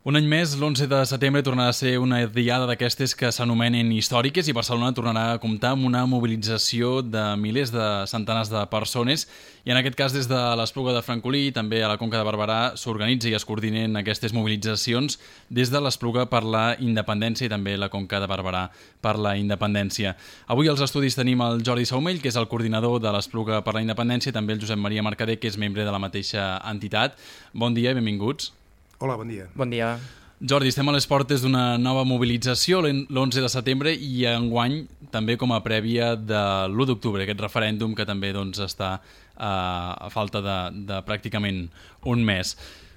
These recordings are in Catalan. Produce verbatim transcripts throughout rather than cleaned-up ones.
Un any més, l'onze de setembre tornarà a ser una diada d'aquestes que s'anomenen històriques i Barcelona tornarà a comptar amb una mobilització de milers de centenars de persones i en aquest cas des de l'Espluga de Francolí i també a la Conca de Barberà s'organitza i es coordinen aquestes mobilitzacions des de l'Espluga per la Independència i també la Conca de Barberà per la Independència. Avui als estudis tenim el Jordi Saumell, que és el coordinador de l'Espluga per la Independència, i també el Josep Maria Mercader, que és membre de la mateixa entitat. Bon dia i benvinguts. Hola, bon dia. Bon dia. Jordi, estem a les portes d'una nova mobilització l'onze de setembre i enguany també com a prèvia de l'u d'octubre, aquest referèndum que també doncs, està uh, a falta de, de pràcticament un mes.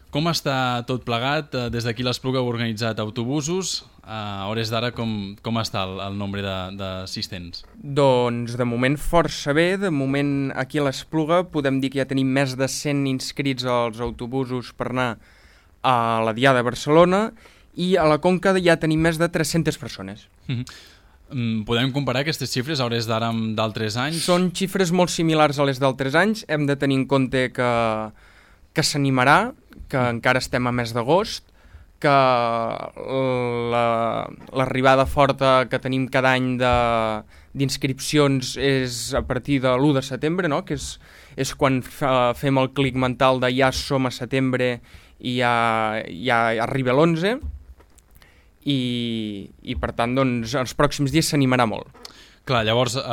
Com està tot plegat? Des d'aquí l'Espluga ha organitzat autobusos. A hores d'ara com, com està el, el nombre d'assistents? Doncs de moment força bé. De moment aquí a l'Espluga podem dir que ja tenim més de cent inscrits als autobusos per anar a la Diada de Barcelona i a la Conca ja tenim més de tres-centes persones. Mm-hmm. Podem comparar aquestes xifres a hores d'ara amb d'altres anys? Són xifres molt similars a les d'altres anys. Hem de tenir en compte que, que s'animarà, que mm. encara estem a mes d'agost, que l'arribada la, forta que tenim cada any d'inscripcions és a partir de l'u de setembre, no? Que és, és quan fa, fem el clic mental de ja som a setembre i ja, ja arriba l'onze i, i per tant doncs, els pròxims dies s'animarà molt. Clar, llavors eh,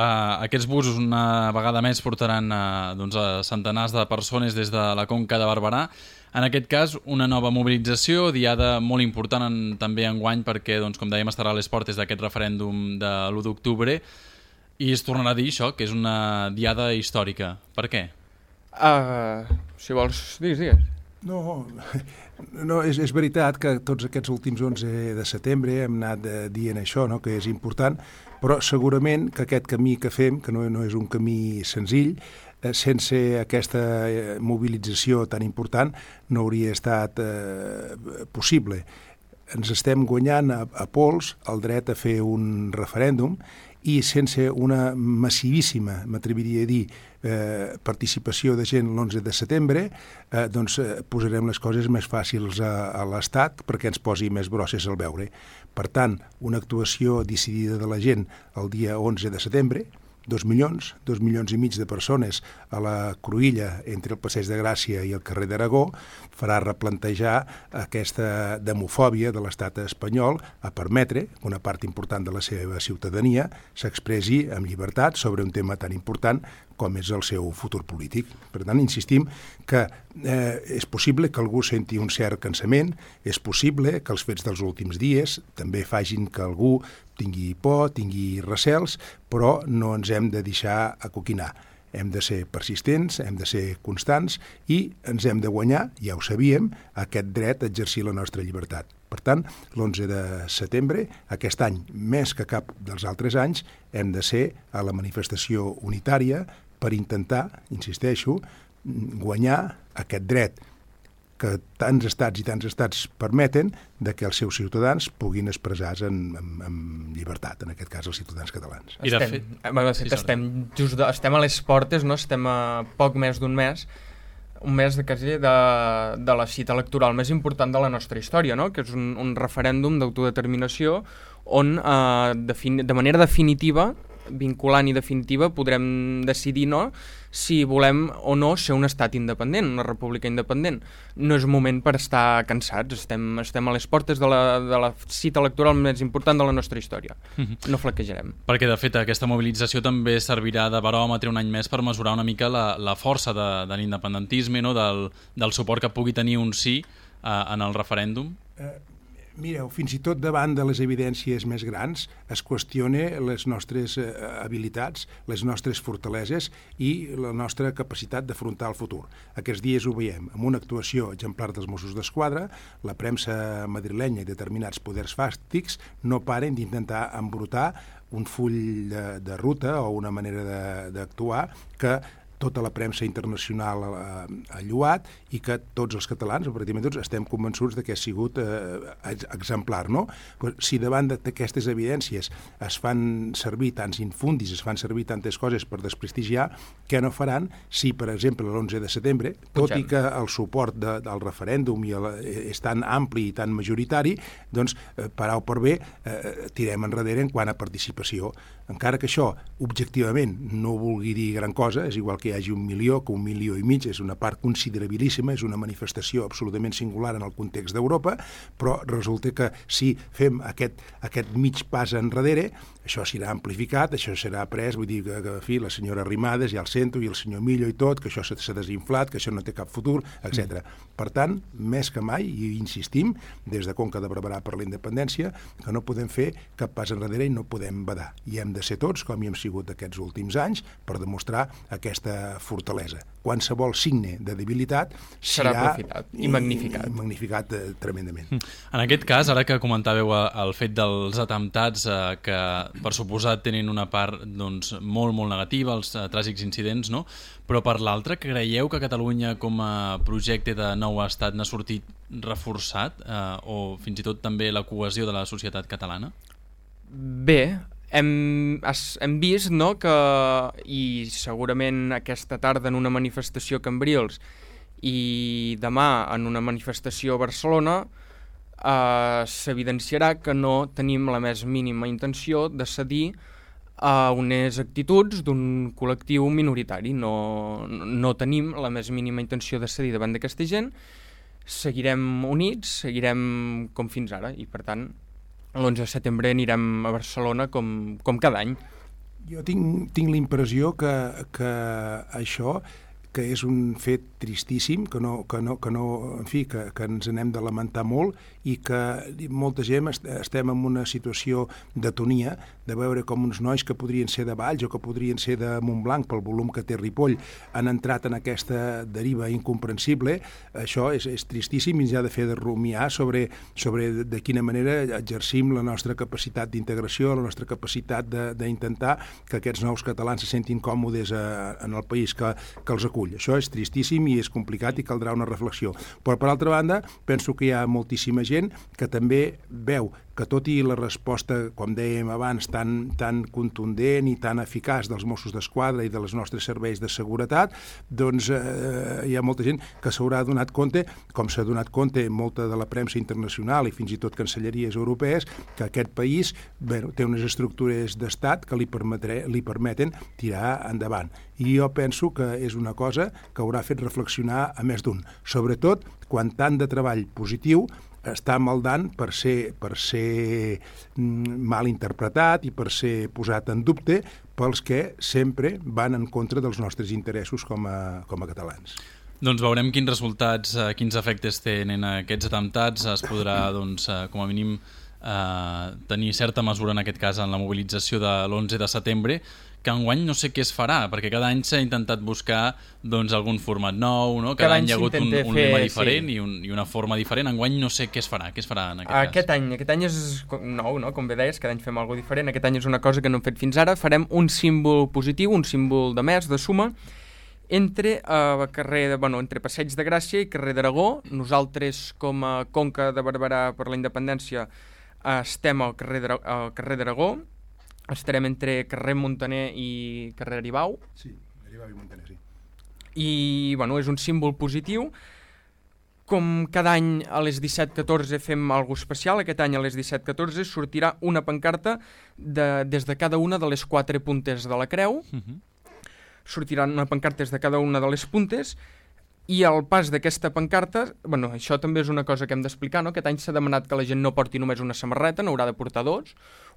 aquests busos una vegada més portaran eh, doncs, a centenars de persones des de la Conca de Barberà. En aquest cas, una nova mobilització, diada molt important en, també enguany perquè, doncs, com dèiem, estarà a les portes d'aquest referèndum de l'u d'octubre i es tornarà a dir això, que és una diada històrica. Per què? Uh, si vols, digues, digues. No, no és, és veritat que tots aquests últims onze de setembre hem anat dient això, no? Que és important, però segurament que aquest camí que fem, que no, no és un camí senzill, eh, sense aquesta mobilització tan important no hauria estat eh, possible. Ens estem guanyant a, a pols el dret a fer un referèndum i sense una massivíssima, m'atreviria a dir, eh, participació de gent l'onze de setembre, eh, doncs eh, posarem les coses més fàcils a, a l'Estat perquè ens posi més brosses al veure. Per tant, una actuació decidida de la gent el dia onze de setembre, dos milions, dos milions i mig de persones a la cruïlla entre el Passeig de Gràcia i el carrer d'Aragó, farà replantejar aquesta demofòbia de l'estat espanyol a permetre que una part important de la seva ciutadania s'expressi amb llibertat sobre un tema tan important com és el seu futur polític. Per tant, insistim que eh, és possible que algú senti un cert cansament, és possible que els fets dels últims dies també facin que algú tingui por, tingui recels, però no ens hem de deixar acoquinar. Hem de ser persistents, hem de ser constants i ens hem de guanyar, ja ho sabíem, aquest dret a exercir la nostra llibertat. Per tant, l'onze de setembre, aquest any, més que cap dels altres anys, hem de ser a la manifestació unitària per intentar, insisteixo, guanyar aquest dret que tants estats i tants estats permeten de que els seus ciutadans puguin expressar-se en, en, en llibertat, en aquest cas els ciutadans catalans. I de estem, fet, de fet sí, estem, just de, estem a les portes, no? Estem a poc més d'un mes, un mes de, quasi de, de la cita electoral més important de la nostra història, no? Que és un, un referèndum d'autodeterminació on eh, de, de manera definitiva, vinculant i definitiva, podrem decidir no, si volem o no ser un estat independent, una república independent. No és un moment per estar cansats, estem, estem a les portes de la, de la cita electoral més important de la nostra història. Mm-hmm. No flaquejarem. Perquè, de fet, aquesta mobilització també servirà de baròmetre un any més per mesurar una mica la, la força de, de l'independentisme, no? del, del suport que pugui tenir un sí eh, en el referèndum. Eh... Mireu, fins i tot davant de les evidències més grans es qüestiona les nostres eh, habilitats, les nostres fortaleses i la nostra capacitat d'afrontar el futur. Aquests dies ho veiem amb una actuació exemplar dels Mossos d'Esquadra, la premsa madrilenya i determinats poders fàctics no paren d'intentar embrutar un full de, de ruta o una manera d'actuar que tota la premsa internacional ha, ha lluat i que tots els catalans, o pràcticament tots, estem convençuts de que ha sigut eh, exemplar, no? Però si davant d'aquestes evidències es fan servir tants infundis, es fan servir tantes coses per desprestigiar, què no faran si, per exemple, l'onze de setembre, tot i que el suport de, del referèndum i el, és tan ampli i tan majoritari, doncs, eh, per A o per B, eh, tirem enrere en quant a participació. Encara que això, objectivament, no vulgui dir gran cosa, és igual que hi hagi un milió, que un milió i mig, és una part considerabilíssima, és una manifestació absolutament singular en el context d'Europa, però resulta que si fem aquest, aquest mig pas enrere, això serà amplificat, això serà pres, vull dir que, que en fi, la senyora Arrimadas ja el sento, i el senyor Millo i tot, que això s'ha desinflat, que això no té cap futur, etcètera. Mm. Per tant, més que mai, i insistim, des de Conca de Barberà per la Independència, que no podem fer cap pas enrere i no podem badar. I hem de ser tots, com hi hem sigut aquests últims anys, per demostrar aquesta fortalesa. Qualsevol signe de debilitat serà aprofitat i magnificat. I magnificat eh, tremendament. En aquest cas, ara que comentàveu el fet dels atemptats eh, que per suposat tenen una part doncs, molt, molt negativa, els eh, tràgics incidents, no? Però per l'altra, creieu que Catalunya com a projecte de nou estat n'ha sortit reforçat eh, o fins i tot també la cohesió de la societat catalana? Bé, hem, hem vist, no, que, i segurament aquesta tarda en una manifestació a Cambrils i demà en una manifestació a Barcelona eh, s'evidenciarà que no tenim la més mínima intenció de cedir a unes actituds d'un col·lectiu minoritari. No, no tenim la més mínima intenció de cedir davant d'aquesta gent, seguirem units, seguirem com fins ara, i per tant l'onze de setembre anirem a Barcelona com, com cada any. Jo tinc, tinc la impressió que, que això, que és un fet tristíssim, que no, que no, que no, en fi, que, que ens n'hem de lamentar molt i que molta gent estem en una situació d'atonia, de veure com uns nois que podrien ser de Valls o que podrien ser de Montblanc pel volum que té Ripoll han entrat en aquesta deriva incomprensible. Això és, és tristíssim i ens ha de fer de rumiar sobre, sobre de quina manera exercim la nostra capacitat d'integració, la nostra capacitat d'intentar que aquests nous catalans se sentin còmodes a, en el país que, que els acull. Això és tristíssim i és complicat i caldrà una reflexió. Però, per altra banda, penso que hi ha moltíssima gent que també veu que tot i la resposta, com dèiem abans, tan, tan contundent i tan eficaç dels Mossos d'Esquadra i dels nostres serveis de seguretat, doncs eh, hi ha molta gent que s'haurà donat compte, com s'ha donat compte molta de la premsa internacional i fins i tot cancelleries europees, que aquest país bueno, té unes estructures d'estat que li, permetre, li permeten tirar endavant. I jo penso que és una cosa que haurà fet reflexionar a més d'un, sobretot quan tant de treball positiu està maldant per ser, per ser mal interpretat i per ser posat en dubte pels que sempre van en contra dels nostres interessos com a, com a catalans. Doncs veurem quins resultats, eh, quins efectes tenen aquests atemptats. Es podrà, doncs, eh, com a mínim, eh, tenir certa mesura, en aquest cas, en la mobilització de l'onze de setembre, que enguany no sé què es farà, perquè cada any s'ha intentat buscar doncs, algun format nou, no? Cada, cada any hi ha hagut un, un lema diferent sí. i, un, i una forma diferent. Enguany no sé què es farà, què es farà en aquest, aquest cas. Any, aquest any és nou, no? Com bé deies, cada any fem alguna cosa diferent. Aquest any és una cosa que no hem fet fins ara. Farem un símbol positiu, un símbol de més, de suma, entre, uh, carrer de, bueno, entre Passeig de Gràcia i carrer d'Aragó. Nosaltres, com a Conca de Barberà per la Independència, uh, estem al carrer d'Aragó. Estarem entre carrer Montaner i carrer Aribau. Sí, Aribau i Montaner, sí. I, bueno, és un símbol positiu. Com cada any a les disset catorze fem alguna cosa especial, aquest any a les disset catorze sortirà una pancarta de, des de cada una de les quatre puntes de la creu. Uh-huh. Sortirà una pancarta des de cada una de les puntes i al pas d'aquesta pancarta, bueno, això també és una cosa que hem d'explicar, no? Aquest any s'ha demanat que la gent no porti només una samarreta, n'haurà de portar dos.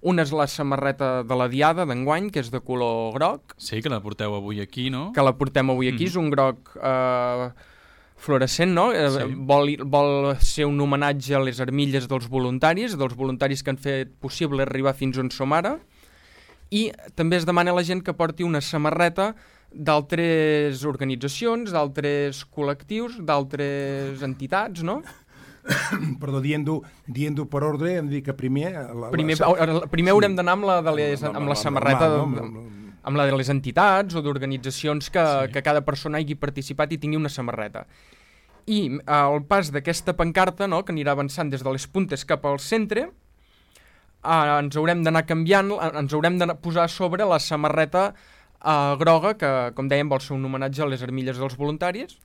Una és la samarreta de la Diada d'enguany, que és de color groc. Sí, que la porteu avui aquí, no? Que la portem avui aquí, mm. és un groc eh, fluorescent, no? Eh, sí. vol, vol ser un homenatge a les armilles dels voluntaris, dels voluntaris que han fet possible arribar fins on som ara. I també es demana a la gent que porti una samarreta d'altres organitzacions, d'altres col·lectius, d'altres entitats, no? Perdó, dient-ho dient per ordre, hem dit que primer... La, primer la... primer sí. Haurem d'anar amb la, de les, amb la, la samarreta... Normal, no? amb la de les entitats o d'organitzacions que, sí. que cada persona hagi participat i tingui una samarreta. I al pas d'aquesta pancarta, no, que anirà avançant des de les puntes cap al centre, eh, ens haurem d'anar canviant, ens haurem de posar a sobre la samarreta eh, groga, que, com dèiem, vol ser un homenatge a les armilles dels voluntaris,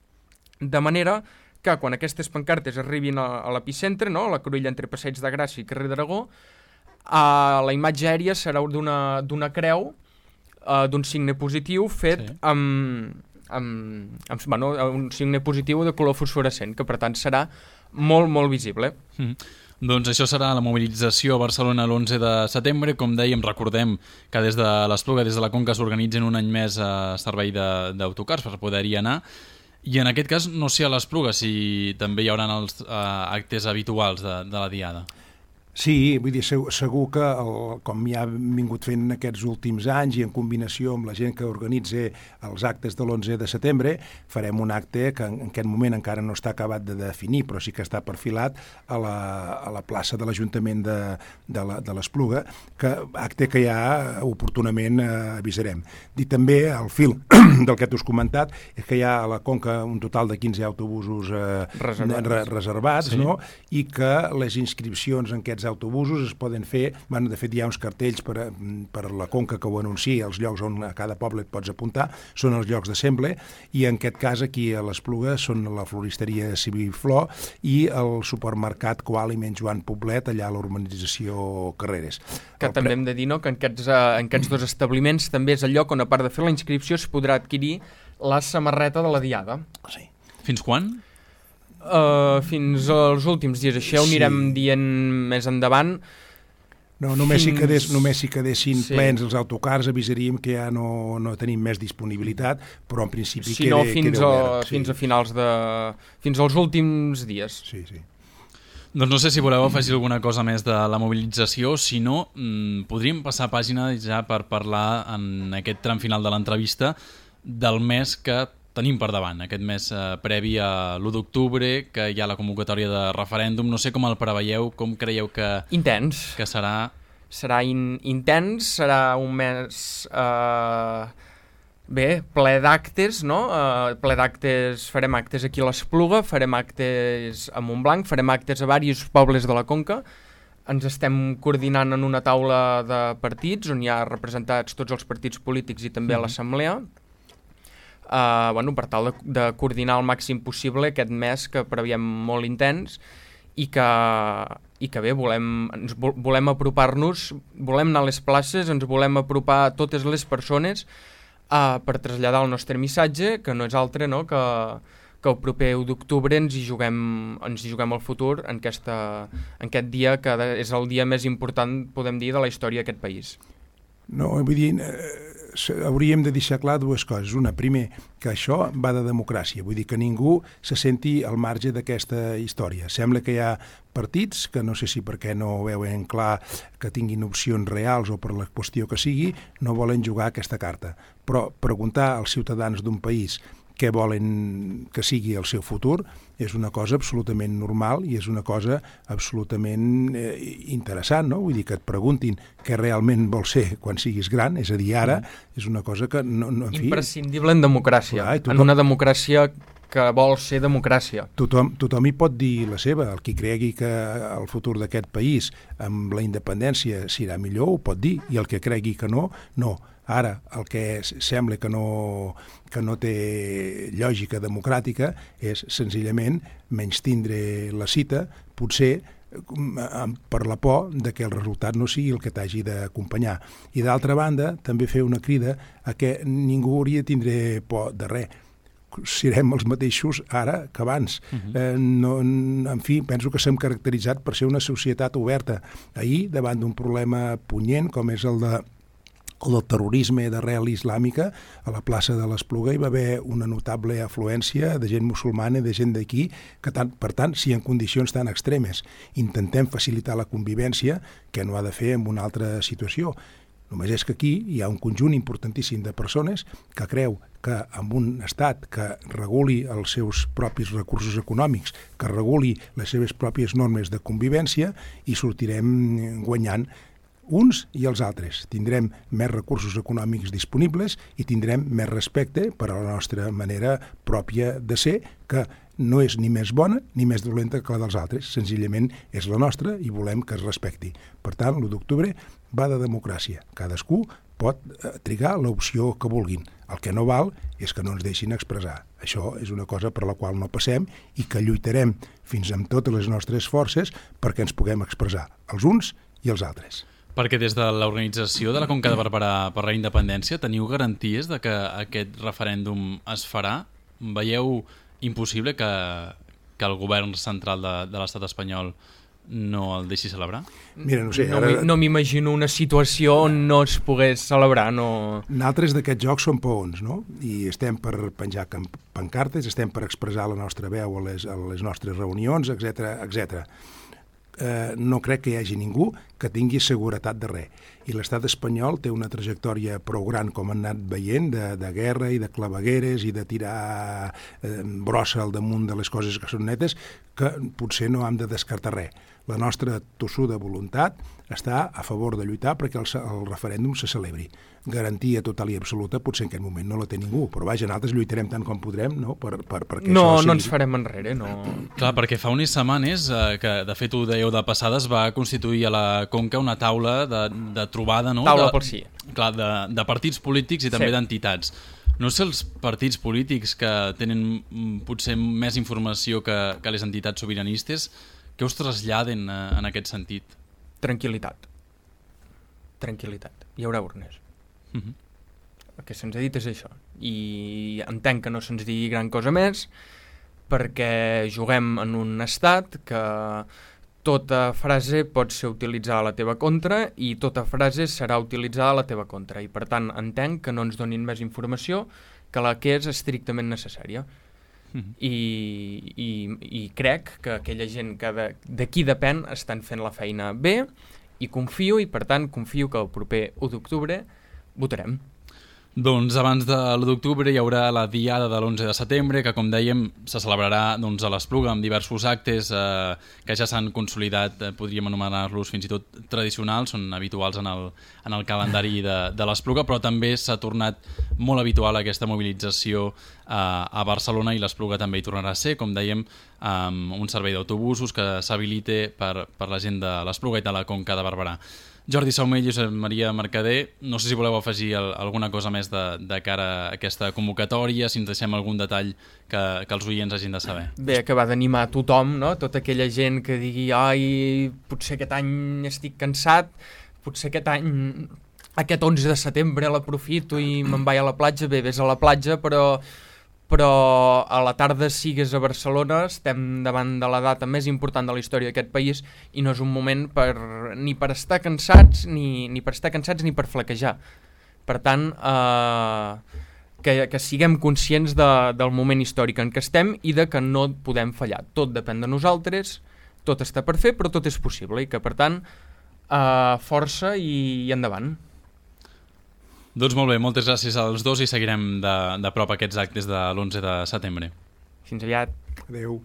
de manera que quan aquestes pancartes arribin a, a l'epicentre, no, a la cruïlla entre Passeig de Gràcia i carrer d'Aragó, uh, la imatge aèria serà d'una d'una creu, uh, d'un signe positiu fet sí. amb, amb, amb bueno, un signe positiu de color fosforescent, que per tant serà molt, molt visible. Mm. Doncs això serà la mobilització a Barcelona l'onze de setembre. Com dèiem, recordem que des de l'Espluga, des de la Conca, s'organitzen un any més a servei d'autocars per poder-hi anar. I en aquest cas, no sé a l'Espluga si també hi haurà els uh, actes habituals de, de la Diada. Sí, vull dir, segur, segur que el, com ja hem vingut fent aquests últims anys i en combinació amb la gent que organitza els actes de l'onze de setembre, farem un acte que en, en aquest moment encara no està acabat de definir, però sí que està perfilat a la, a la plaça de l'Ajuntament de, de l'Espluga, que acte que ja oportunament eh, avisarem. I també al fil del que t'has comentat és que hi ha a la Conca un total de quinze autobusos eh, reservats, re, reservats sí. no? I que les inscripcions en aquests autobusos es poden fer, bueno, de fet hi ha uns cartells per, per la Conca que ho anuncia, els llocs on a cada poble et pots apuntar, són els llocs d'assemble, i en aquest cas aquí a l'Espluga són la floristeria Civiflor i el supermercat Coaliment Joan Poblet, allà a l'urbanització Carreres. Que el també pre... hem de dir, no?, que en aquests, uh, en aquests dos establiments també és el lloc on, a part de fer la inscripció, es podrà adquirir la samarreta de la Diada. Sí. Fins quan? Uh, fins als últims dies. Això ho anirem sí. dient més endavant. No, només, fins... si quedés, només si quedessin sí. plens els autocars avisaríem que ja no, no tenim més disponibilitat, però en principi si queda, no, fins queda obert. A, sí. Fins a finals de... fins als últims dies. Sí, sí. Doncs no sé si voleu afegir alguna cosa més de la mobilització, si no, mmm, podríem passar pàgina ja per parlar en aquest tram final de l'entrevista del mes que tenim per davant, aquest mes eh, previ a l'u d'octubre, que hi ha la convocatòria de referèndum. No sé com el preveieu, com creieu que... Intens. Que serà... Serà in, intens, serà un mes... Eh, bé, ple d'actes, no? Eh, ple d'actes, farem actes aquí a l'Espluga, farem actes a Montblanc, farem actes a diversos pobles de la Conca. Ens estem coordinant en una taula de partits, on hi ha representats tots els partits polítics i també mm. l'Assemblea. Uh, bueno, per tal de, de coordinar al màxim possible aquest mes que preveiem molt intens i que, i que bé, volem, ens volem apropar-nos, volem anar a les places, ens volem apropar a totes les persones uh, per traslladar el nostre missatge, que no és altre, no?, que, que el proper u d'octubre ens hi juguem, ens hi juguem el futur en, aquesta, en aquest dia que és el dia més important, podem dir, de la història d'aquest país. No, vull dir... Eh... hauríem de deixar clar dues coses. Una, primer, que això va de democràcia, vull dir que ningú se senti al marge d'aquesta història. Sembla que hi ha partits que no sé si perquè no veuen clar que tinguin opcions reals o per la qüestió que sigui, no volen jugar aquesta carta. Però preguntar als ciutadans d'un país què volen que sigui el seu futur és una cosa absolutament normal i és una cosa absolutament eh, interessant, no? Vull dir, que et preguntin què realment vols ser quan siguis gran, és a dir, ara, és una cosa que... No, no, en fi, imprescindible en democràcia, clar, tothom, en una democràcia que vol ser democràcia. Tothom, tothom hi pot dir la seva, el qui cregui que el futur d'aquest país amb la independència serà millor ho pot dir, i el que cregui que no, no. Ara, el que sembla que no, que no té lògica democràtica és senzillament menystindre la cita, potser per la por de que el resultat no sigui el que t'hagi d'acompanyar. I d'altra banda, també fer una crida a que ningú hauria de tindre por de res. Serem els mateixos ara que abans. Uh-huh. eh, no, en fi, penso que s'hem caracteritzat per ser una societat oberta. Ahir, davant d'un problema punyent com és el de el del terrorisme d'arrel islàmica, a la plaça de l'Espluga hi va haver una notable afluència de gent musulmana i de gent d'aquí, que tant, per tant, si en condicions tan extremes intentem facilitar la convivència, que no ha de fer en una altra situació. Només és que aquí hi ha un conjunt importantíssim de persones que creu que amb un estat que reguli els seus propis recursos econòmics, que reguli les seves pròpies normes de convivència, i sortirem guanyant uns i els altres. Tindrem més recursos econòmics disponibles i tindrem més respecte per a la nostra manera pròpia de ser, que no és ni més bona ni més dolenta que la dels altres, senzillament és la nostra i volem que es respecti. Per tant, l'u d'octubre va de democràcia. Cadascú pot trigar l'opció que vulguin. El que no val és que no ens deixin expressar. Això és una cosa per la qual no passem i que lluitarem fins amb totes les nostres forces perquè ens puguem expressar, els uns i els altres. Perquè des de l'organització de la Conca de Barberà per la Independència teniu garanties de que aquest referèndum es farà? Veieu impossible que, que el govern central de, de l'estat espanyol no el deixi celebrar? Mira, no sé, no, ara... no m'imagino una situació on no es pogués celebrar. No... Nosaltres d'aquests jocs som peons, no? I estem per penjar pancartes, estem per expressar la nostra veu a les, a les nostres reunions, etcètera, etcètera. Eh, no crec que hi hagi ningú que tingui seguretat de res. I l'estat espanyol té una trajectòria prou gran, com han anat veient, de, de guerra i de clavegueres i de tirar eh, brossa al damunt de les coses que són netes, que potser no hem de descartar res. La nostra tossuda voluntat està a favor de lluitar perquè el, el referèndum se celebri. Garantia total i absoluta potser en aquest moment no la té ningú, però vaja, nosaltres lluitarem tant com podrem, no? Per, per, perquè no, això sigui... no ens farem enrere, no. Clar, perquè fa unes setmanes, eh, que de fet ho dèieu de passada, es va constituir a la Conca una taula de, de trobada, no? Taula de, pel sí. Clar, de, de partits polítics i també sí. d'entitats. No sé els partits polítics que tenen potser més informació que, que les entitats sobiranistes, què us traslladen eh, en aquest sentit? Tranquil·litat. Tranquil·litat. Hi haurà urnes. Uh -huh. El que se'ns ha dit és això. I entenc que no se'ns digui gran cosa més perquè juguem en un estat que tota frase pot ser utilitzada a la teva contra i tota frase serà utilitzada a la teva contra. I per tant entenc que no ens donin més informació que la que és estrictament necessària. Uh -huh. I, i, i crec que aquella gent que de, de qui depèn estan fent la feina bé i confio, i per tant confio que el proper u d'octubre votarem. Doncs abans de l'u d'octubre hi haurà la diada de l'onze de setembre, que com dèiem se celebrarà doncs, a l'Espluga amb diversos actes eh, que ja s'han consolidat, eh, podríem anomenar-los fins i tot tradicionals, són habituals en el, en el calendari de, de l'Espluga, però també s'ha tornat molt habitual aquesta mobilització eh, a Barcelona, i l'Espluga també hi tornarà a ser, com dèiem, amb un servei d'autobusos que s'habilite per, per la gent de l'Espluga i de la Conca de Barberà. Jordi Saumell i Josep Maria Mercader, no sé si voleu afegir el, alguna cosa més de, de cara a aquesta convocatòria, si ens deixem algun detall que, que els oients hagin de saber. Bé, acabar d'animar a tothom, no? Tota aquella gent que digui ai, potser aquest any estic cansat, potser aquest any, aquest onze de setembre l'aprofito i me'n vaig a la platja. Bé, vés a la platja, però... però a la tarda sigues a Barcelona, estem davant de la data més important de la història d'aquest país i no és un moment per, ni per estar cansats ni, ni per estar cansats ni per flaquejar. Per tant, eh, que, que siguem conscients de, del moment històric en què estem i de que no podem fallar. Tot depèn de nosaltres, tot està per fer, però tot és possible i que, per tant, eh, força i, i endavant. Doncs molt bé, moltes gràcies als dos i seguirem de, de prop aquests actes de l'onze de setembre. Fins aviat. Adéu.